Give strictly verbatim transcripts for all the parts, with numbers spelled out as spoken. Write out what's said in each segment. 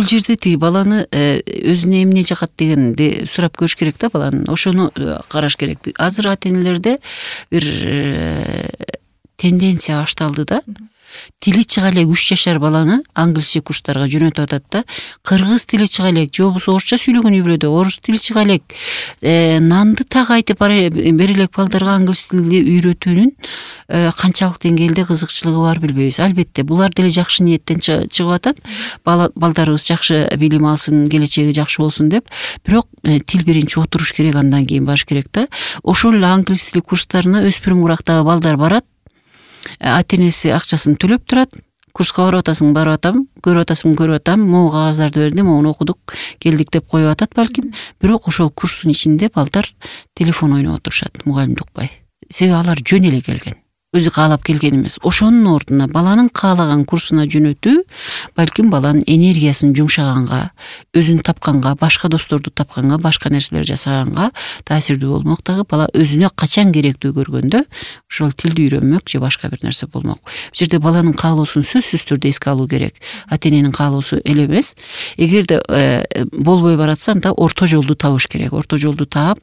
бул жерде тиги баланы өзүнө эмне жагат дегенди сурап көрүш керек да баланын. Ошону караш керек. Азыр ата-энелерде бир тенденция башталды да. Тили чыга элек үч жашар баланы англисче курстарга жөнөтүп атат да. Кыргыз тили чыга элек, же болбосо орусча сүйлөгөн үй-бүлөдө орус тили чыга элек, нанды так айтып бере элек балдарга англис тилди үйрөтүүнүн канчалык деңгээлде кызыкчылыгы бар билбейбиз. Албетте, булар деле жакшы ниеттен чыгып атат. Балдарыбыз жакшы билим алсын, келечеги жакшы болсун деп. Бирок тил биринчи отуруш керек, андан кийин барыш керек да. Ошол эле англис тили курстарына өспүрүм курактагы балдар барат. Ата-энеси акчасын төлөп турат. Курска барып атасың, барып атам, көрүп атасың, көрүп атам, могу кагаздарды бердим, моуну окудук, келдик деп коюп атат балким. Бирок ошол курстун ичинде балдар телефон ойноп отурушат, мугалимди укпай. Себеби алар жөн эле келген. Өзү каалап келген эмес. Ошонун ордуна баланын каалаган курсуна жөнөтүү балким баланын энергиясын жумшаганга, өзүн тапканга, башка досторду тапканга, башка нерселер жасаганга таасирдүү болмок дагы. Бала өзүнө качан керектүү көргөндө ошол тилди үйрөнмөк же башка бир нерсе болмок. Бул жерде баланын каалоосун сөзсүз түрдө эске алуу керек. Ата-эненин каалоосу эле эмес. Эгерде болбой баратса, анда орто жолду табыш керек. Орто жолду таап,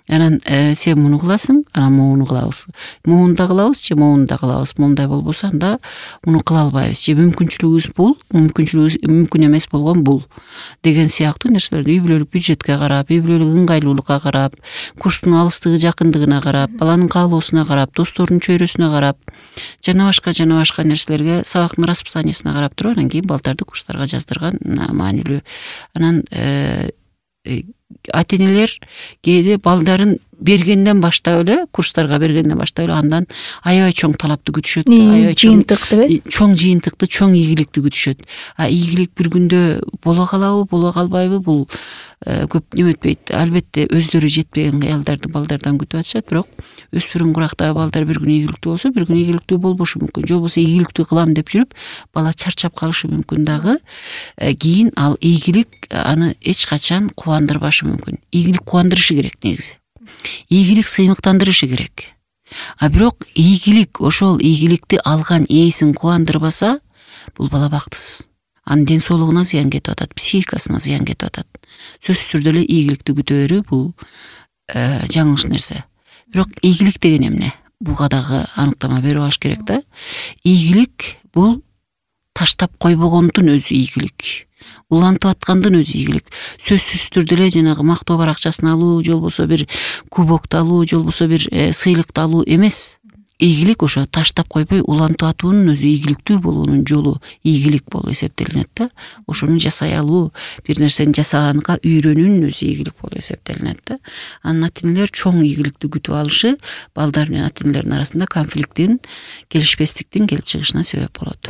анан сен муну кыласың, анан муну кылабыз. Муну да кылабыз, же муну да кылабыз. Мындай болбосо анда муну кыла албайбыз. Же мүмкүнчүлүгүбүз бул, мүмкүнчүлүгүбүз мүмкүн эмес болгон бул деген сыяктуу нерселерди үй бүлөлүк бюджетке карап, үй бүлөлүк ыңгайлуулукка карап, курстун алыстыгы жакындыгына карап, баланын каалоосуна карап, досторунун чөйрөсүнө карап, жана башка жана башка нерселерге, сабактын расписаниясына карап туруп, анан кийин балдарды курстарга жаздырган маанилүү. Анан ата-энелер кээде балдарын бергенден баштап эле, курстарга бергенден баштап эле андан аябай чоң талапты күтүшөт. Аябай жыйынтык деп, чоң жыйынтыкты, чоң ийгиликти күтүшөт. А ийгилик бир күндө боло калабы, боло калбайбы, бул көп неме өтпөйт. Албетте өздөрү жетпеген кыялдарды балдардан күтүп атышат, бирок өспүрүм курактагы балдар бир күн ийгиликтүү болсо, бир күн ийгиликтүү болбошу мүмкүн. Же болбосо ийгиликтүү кылам деп жүрүп, бала чарчап калышы мүмкүн дагы. Кийин ал ийгилик аны эч качан кубандырбашы мүмкүн. Ийгилик кубандырышы керек негизи. Ийгилик сыймыктандырышы керек. А бирок ийгилик, ошол ийгиликти алган ээсин кубандырбаса, бул бала бактысыз. Анын ден соолугуна зыян кетип атат, психикасына зыян кетип атат. Сөзсүз түрдө эле ийгиликти күтө берүү бул жаңылыш нерсе. Бирок ийгилик деген эмне? Буга дагы аныктама берип алыш керек да. Ийгилик бул таштап койбогондун өзү ийгилик. Улантып аткандын өзү ийгилик. Сөзсүз түрдө эле жанагы мактоо баракчасын алуу, же болбосо бир кубокту алуу, же болбосо бир сыйлыкты алуу эмес. Ийгилик ошо таштап койбой улантып атуунун өзү ийгиликтүү болуунун жолу ийгилик болуп эсептелинет да. Ошону жасай алуу, бир нерсени жасаганга үйрөнүүнүн өзү ийгилик болуп эсептелинет да. Анан ата-энелер чоң ийгиликти күтүп алышы балдар менен ата-энелердин арасында конфликттин, келишпестиктин келип чыгышына себеп болот.